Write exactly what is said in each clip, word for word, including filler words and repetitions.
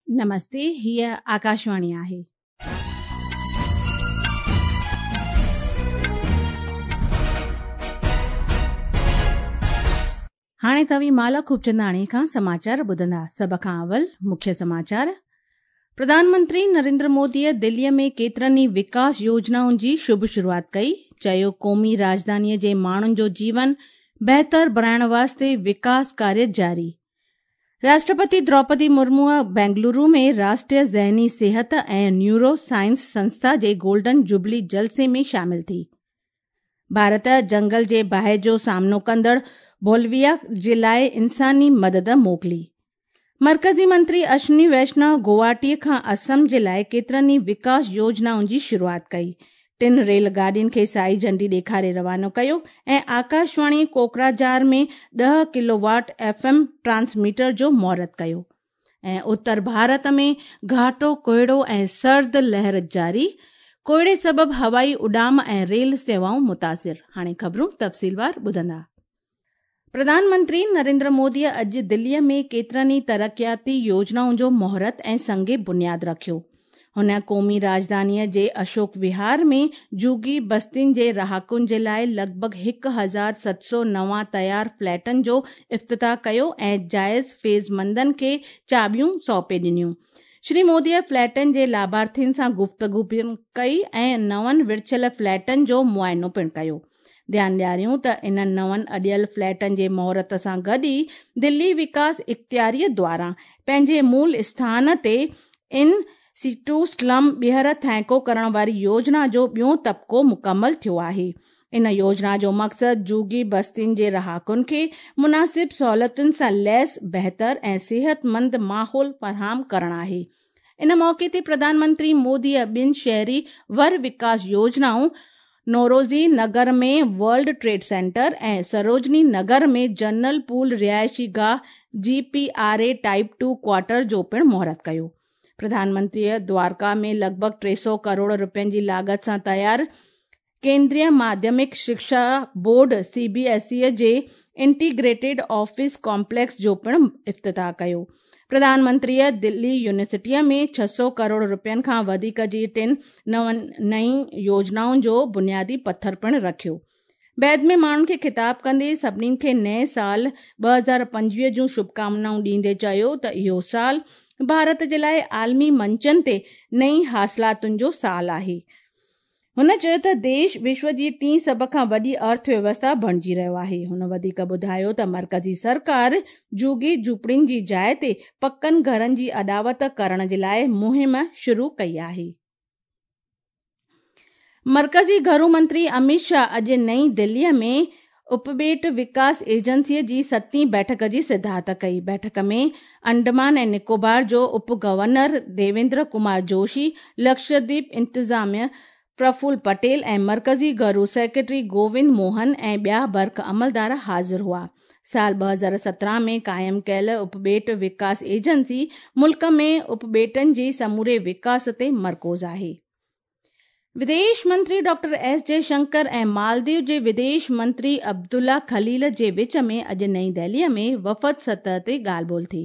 नमस्ते, हीअ आकाशवाणी आहे। हाणे तव्हीं माला खूबचंदाणी खां समाचार ॿुधंदा। सभ खां अवल मुख्य समाचार। प्रधानमंत्री नरेंद्र मोदीअ दिल्लीअ में केतिरनि ई विकास योजनाउनि जी शुभ शुरूआत कई। चयो, क़ौमी राजधानीअ जे माण्हुनि जो जीवन बहितर बणाइण वास्ते विकास कार्य जारी। राष्ट्रपति द्रौपदी मुर्मूअ बेंगलुरु में राष्ट्रीय ज़हनी सिहत ऐं न्यूरो साइंस संस्था जे गोल्डन जुबली जलसे में शामिल थी। भारत जंगल जे बाहि जो सामनो कंदड़ बोलिविया जे लाइ इंसानी मदद मोकिली। मर्कज़ी मंत्री अश्विनी वैष्णव गुवाहाटी खां असम जे लाइ केतिरनि ई विकास योजनाउनि जी शुरूआत कई। टिन रेल गाॾियुनि खे साई झंडी ॾेखारे रवानो कयो ऐं आकाशवाणी कोकराझार में ॾह किलोवाट एफ एम ट्रांसमीटर जो मुहूर्त कयो। ऐं उत्तर भारत में घाटो कोहिड़ो ऐं सर्द लहर जारी, कोहिड़े सबबि हवाई उॾाम ऐं रेल सेवाऊं मुतासिर। हाणे ख़बरूं तफ़सीलवार ॿुधंदा। प्रधानमंत्री नरेंद्र मोदीअ अॼु दिल्लीअ में केतिरनि ई तरक़ियाती योजनाउनि जो मुहूर्त ऐं संग बुनियाद रखियो। हुन क़ौमी राजधानीअ जे अशोक विहार में जुगी बस्तियुनि जे रहाकुनि जे लाइ लॻभॻि हिकु हज़ार सत सौ नवां तयार फ्लैटनि जो इफ़्तिताह कयो ऐं जाइज़ फैज़मंदनि खे चाॿियूं सौंपे ॾिनियूं। श्री मोदीअ फ्लैटनि जे लाभार्थियुनि सां गुफ़्तगू पिणु कई ऐं नवनि विरछियल फ्लैटनि जो मुआइनो पिणु कयो। ध्यानु ॾियारियूं त इन्हनि नवनि अॾियल फ्लैटनि जे मुहूर्त सां गॾु ई दिल्ली विकास इख़्तियारीअ द्वारा पंहिंजे मूल स्थान ते इन सीटू स्लम ॿीहर थैंको करण वारी योजना जो ॿियो तबिको मुकमल थियो आहे। इन योजना जो मक़सदु जुगी बस्तियुनि जे रहाकुनि खे मुनासिब सहूलियतुनि सां लैस बहितर ऐं सिहतमंद माहौल फराहम करणु आहे। इन मौक़े ते प्रधानमंत्री मोदीअ ॿिनि शहरी वर विकास योजनाऊं नौरोज़ी नगर में वर्ल्ड ट्रेड सेंटर ऐं सरोजनी नगर में जनरल पूल रिहाइशी गाह G P R A type two quarter जो पिणु मुहूर्त कयो। प्रधानमंत्रीअ द्वारका में लॻभॻि टे सौ करोड़ रुपयनि जी लागत सां तयार केंद्रीय माध्यमिक शिक्षा board C B S E जे इंटीग्रेटेड ऑफिस कॉम्प्लेक्स जो पिणु इफ़्तिताह कयो। प्रधानमंत्रीअ दिल्ली यूनिवर्सिटीअ में छह सौ करोड़ रुपयनि खां वधीक जी टिनि नवनि नई योजनाउनि जो बुनियादी पथर पिणु रखियो। बैद में माण्हुनि खे ख़िताब कंदे सभिनी खे नए साल ॿ हज़ार पंजवीह जूं शुभकामनाऊं ॾींदे चयो त इहो साल भारत जे लाइ आलमी मंचनि ते नई हासिलातुनि जो साल आहे। हुन चयो त देश विश्व जी टीं सभ खां वॾी अर्थव्यवस्था बणिजी रहियो आहे। हुन वधीक ॿुधायो त मर्कज़ी सरकार जुगी झूपड़ियुनि जी जाइ ते पकनि घरनि जी अॾावत करण जे लाइ मुहिम शुरू कई आहे। मर्कज़ी घरू मंत्री अमित शाह अॼु नई दिल्लीअ में उपॿेट विकास एजेंसीअ जी सतीं बैठक जी सिद्धार्थ कई। बैठक में अंडमान ऐं निकोबार जो उप गवर्नर देवेंद्र कुमार जोशी, लक्षद्वीप इंतिज़ामिया प्रफुल्ल पटेल ऐं मर्कज़ी घरू सेक्रेटरी गोविंद मोहन ऐं ॿिया बर्ख अमलदार हाज़िर हुआ। साल ॿ हज़ार सत्रहं में क़ाइमु कयल उपॿेट विकास एजेंसी मुल्क में उपॿेटनि जे समूरे विकास ते मरकूज़ आहे। विदेश मंत्री डॉक्टर एस जयशंकर ऐं मालदीव जे विदेश मंत्री अब्दुल्ला खलील जे विच में अॼु नई दिल्लीअ में वफ़द सतह ते ॻाल्हि ॿोल थी।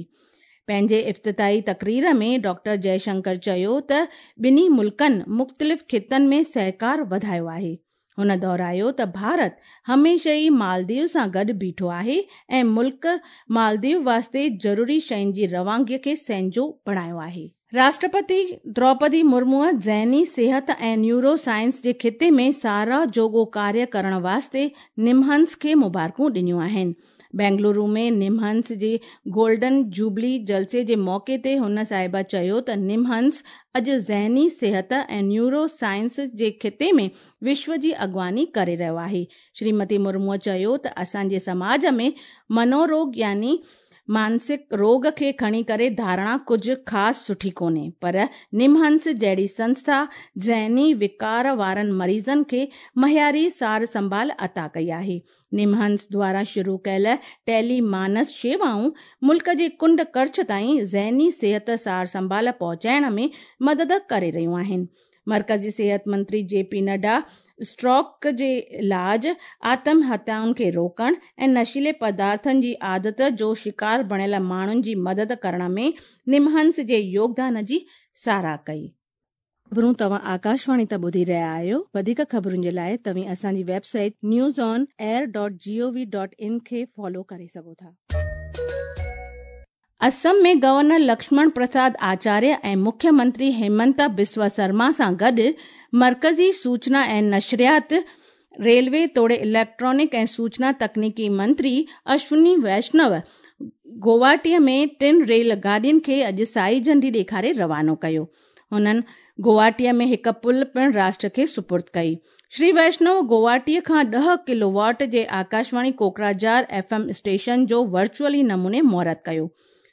पंहिंजे इफ़्तिताही तकरीर में डॉक्टर जयशंकर चयो त ॿिन्ही मुल्कनि मुख़्तलिफ़ ख़ितनि में सहकार वधायो आहे। हुन दोहरायो त भारत हमेशह ई मालदीव सां गॾु बीठो आहे ऐं मुल्क मालदीव वास्ते ज़रूरी शयुनि जी रवानगीअ खे सहिंजो बणायो आहे। राष्ट्रपति द्रौपदी मुर्मूअ ज़हनी सिहत ऐं न्यूरो साइंस जे ख़िते में साराह जोॻो कार्य करण वास्ते निमहंस खे मुबारकूं ॾिनियूं आहिनि। बेंगलुरु में निमहंस जे गोल्डन जुबली जलसे जे मौक़े ते हुन साहिबा चयो त निमहंस अॼु ज़हनी सिहत ऐं न्यूरो साइंस जे ख़िते में विश्व जी अॻुवानी करे रहियो आहे। श्रीमती मुर्मूअ चयो त असांजे समाज में मनोरोग यानी मानसिक रोग खे खणी करे धारणा कुझु ख़ासि सुठी कोन्हे, पर निमहंस जहिड़ी संस्था ज़हनी विकार वारनि मरीज़नि खे मयारी सार संभाल अता कई आहे। निमहंस द्वारा शुरू कयल टेली मानस शेवाऊं मुल्क जे कुंड कड़छ ताईं ज़हनी सिहत सार संभाल पहुचाइण में मदद करे रहियूं आहिनि। मर्कज़ी सेहत मंत्री जे पी नड्डा स्ट्रोक जे इलाज, आत्म हत्याउनि खे रोकण ऐं नशीले पदार्थनि जी आदत जो शिकार बणियल माण्हुनि जी मदद करण में निमहंस जे योगदान जी सराह कई। ख़बरूं तव्हां आकाशवाणी तां ॿुधी रहिया आहियो। वधीक ख़बरुनि जे लाइ तव्हीं असांजी website news on air dot G O V dot in खे फॉलो करे सघो था। असम में गवर्नर लक्ष्मण प्रसाद आचार्य ऐं मुख्यमंत्री हेमंत बिस्व शर्मा सां गॾु मर्कज़ी सूचना ऐं नशरियात, रेलवे तोड़े इलेक्ट्रॉनिक ऐं सूचना तकनीकी मंत्री अश्विनी वैष्णव गुवाहाटीअ में टिनि रेल गाॾियुनि खे अॼु साई झंडी ॾेखारे रवानो कयो। हुननि गुवाहाटीअ में हिकु पुल पिणु राष्ट्र खे सुपुर्द कई। श्री वैष्णव गुवाहाटीअ खां ॾह किलोवाट जे Akashvani Kokrajhar F M station जो वर्चुअली नमूने मुहूर्त कयो।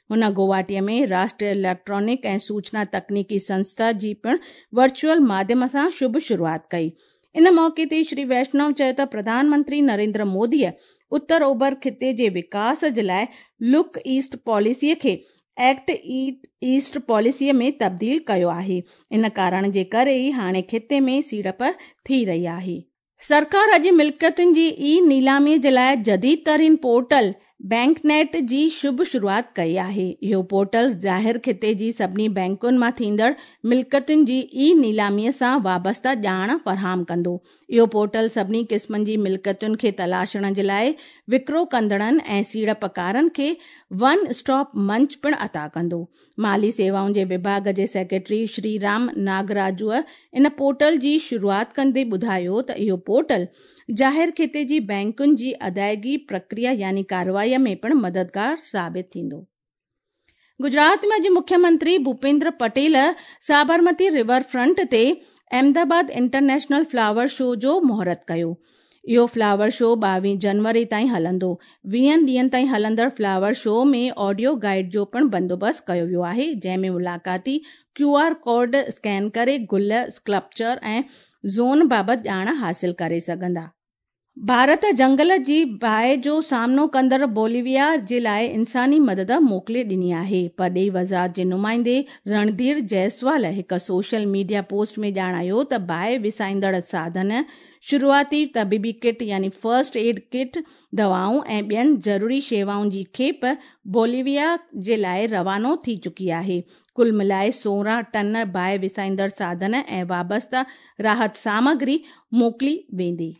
हुन गुवाहाटीअ में राष्ट्रीय इलेक्ट्रॉनिक ऐं सूचना तकनीकी संस्था जी पिणु वर्चुअल माध्यम सां शुभ शुरूआत कई। इन मौक़े ते श्री वैष्णव चयो त प्रधानमंत्री नरेंद्र मोदीअ उत्तर ओभर ख़िते जे विकास जे लाइ लुक ईस्ट पॉलिसीअ खे एक्ट ईस्ट पॉलिसीअ में तब्दील कयो आहे। इन कारण जे करे ई हाणे ख़िते में सीड़प थी रही आहे। सरकार अॼु मिल्कियतुनि जी ई नीलामी जे लाइ जदीद तरीन पोर्टल बैंकनेट जी शुभ शुरूआत कई आहे। इहो पोर्टल ज़ाहिर ख़िते जी सभिनी बैंकुनि मां थींदड़ मिल्कियतुनि जी ई नीलामीअ सां वाबस्ता ॼाण फराहम कंदो। इहो पोर्टल सभिनी क़िस्मनि जी मिल्कियतुनि खे तलाशण जे लाइ विकिरो कंदड़नि ऐं सीड़पकारनि खे वन स्टॉप मंच पिणु अता कंदो। माली सेवाउनि जे विभाग जे सेक्रेटरी श्री राम नागराजूअ इन पोर्टल जी शुरूआत कंदे ॿुधायो त इहो पोर्टल ज़ाहिर ख़िते जी बैंकुनि जी अदायगी प्रक्रिया यानी कार्रवाई में पिणु मददगार साबित थींदो। गुजरात में अॼु मुख्यमंत्री भूपेंद्र पटेल साबरमती रिवर फ्रंट ते अहमदाबाद इंटरनेशनल फ्लावर शो जो मुहूर्त कयो। इहो फ्लावर शो ॿावीह जनवरी ताईं हलंदो। वीहनि ॾींहनि ताईं हलंदड़ फ्लावर शो में ऑडियो गाइड जो पिणु बंदोबस्तु कयो वियो आहे, जंहिं में मुलाक़ाती क्यू आर कोड स्कैन करे गुल, स्कल्पचर ऐं ज़ोन बाबति ॼाण हासिल करे सघंदा। भारत जंगल जी बाहि जो सामनो कंदड़ बोलिविया जे लाइ इंसानी मदद मोकिले ॾिनी आहे। परॾेही वज़ारत जे नुमाइंदे रणधीर जायसवाल हिकु सोशल मीडिया पोस्ट में ॼाणायो त बाहि विसाईंदड़ साधन, शुरूआती तबीबी किट यानी फर्स्ट एड किट, दवाऊं ऐं ॿियनि ज़रूरी शेवाउनि जी खेप बोलिविया जे लाइ रवानो थी चुकी आहे। कुल मिलाए सोरहं टन बाहि विसाईंदड़ साधन ऐं वाबस्ता राहत सामग्री मोकिली वेंदी।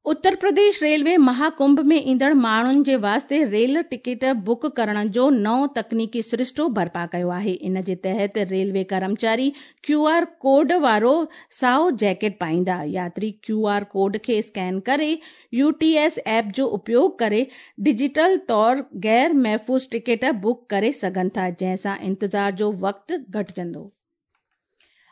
उत्तर प्रदेश रेलवे महाकुंभ में ईंदड़ माण्हुनि जे वास्ते रेल टिकट बुक करण जो नओं तकनीकी सरिश्तो बर्पा कयो आहे। इन जे तहत रेलवे कर्मचारी क्यू आर कोड वारो साओ जैकेट पाईंदा। यात्री क्यू आर कोड खे स्कैन करे यू टी एस ऐप जो उपयोग करे डिजिटल तौर गैर महफ़ूज़ टिकट बुक करे सघनि था, जंहिंसां इंतज़ार जो वक़्तु घटिजंदो।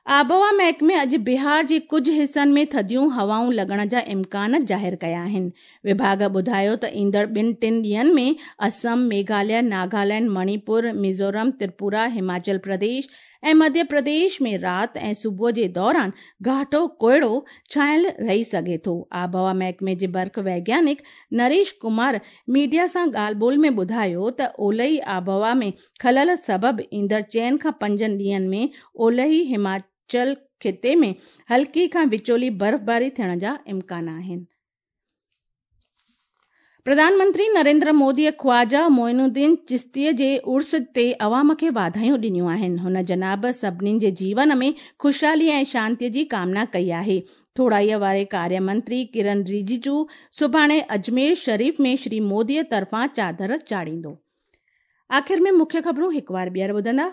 आबहवा महकमे अॼु बिहार जे कुझु हिसनि में थधियूं हवाऊं लॻण जा इम्कान ज़ाहिर कया आहिनि। विभाग ॿुधायो त ईंदड़ ॿिनि टिनि ॾींहंनि में असम, मेघालय, नागालैंड, मणिपुर, मिज़ोरम, त्रिपुरा, हिमाचल प्रदेश ऐं मध्य प्रदेश में राति ऐं सुबुह जे दौरान घाटो कोहिड़ो छायल रही सघे थो। आबहवा महकमे जे बर्फ़ वैज्ञानिक नरेश कुमार मीडिया सां ॻाल्हि ॿोल में ॿुधायो त ओलही आबहवा में ख़लल सबबु ईंदड़ चइनि खां पंजनि ॾींहंनि में ओलही हिमाचल ख़िते में हल्की खां विचोली बर्फ़बारी थियण जा इम्कान आहिनि। प्रधानमंत्री नरेंद्र मोदीअ ख्वाजा मोइनुद्दीन चिश्तीअ जे उर्स ते अवाम खे वाधायूं ॾिनियूं आहिनि। हुन जनाब सभिनीनि जे जीवन में ख़ुशहाली ऐं शांतीअ जी कामना कई आहे। थोराईअ वारे कार्य मंत्री किरण रिजिजू सुभाणे अजमेर शरीफ में श्री मोदीअ तरफ़ां चादर चाढ़ींदो। आख़िर में मुख्य ख़बरूं हिकु बार ॿीहर ॿुधंदा।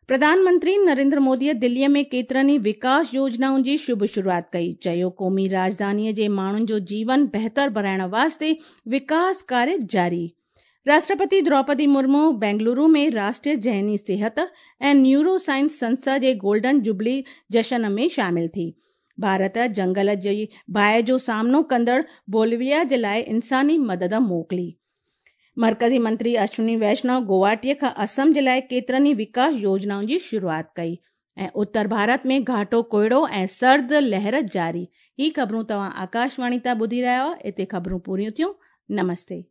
प्रधानमंत्री नरेंद्र मोदीअ दिल्लीअ में केतिरनि ई विकास योजनाउनि जी शुभ शुरूआत कई। चयो क़ौमी राजधानीअ जे माण्हुनि जो जीवन बहितर बणाइण वास्ते विकास कार्य जारी। राष्ट्रपति द्रौपदी मुर्मू बेंगलुरु में राष्ट्रीय ज़हनी सेहत ऐं न्यूरो साइंस संस्था जे गोल्डन जुबली जशन में शामिल थी। भारत जंगल जी बाहि जो सामनो कंदड़ बोलिविया जे लाइ इंसानी मदद मोकिली। मर्कज़ी मंत्री अश्विनी वैष्णव गुवाहाटीअ खां असम जे लाइ केतिरनि ई विकास योजनाउनि जी शुरूआत कई। ऐं उत्तर भारत में घाटो कोहिड़ो ऐं सर्द लहर जारी। ही ख़बरूं तव्हां आकाशवाणी तां ॿुधी रहिया हुआ। हिते ख़बरूं पूरियूं थियूं। नमस्ते।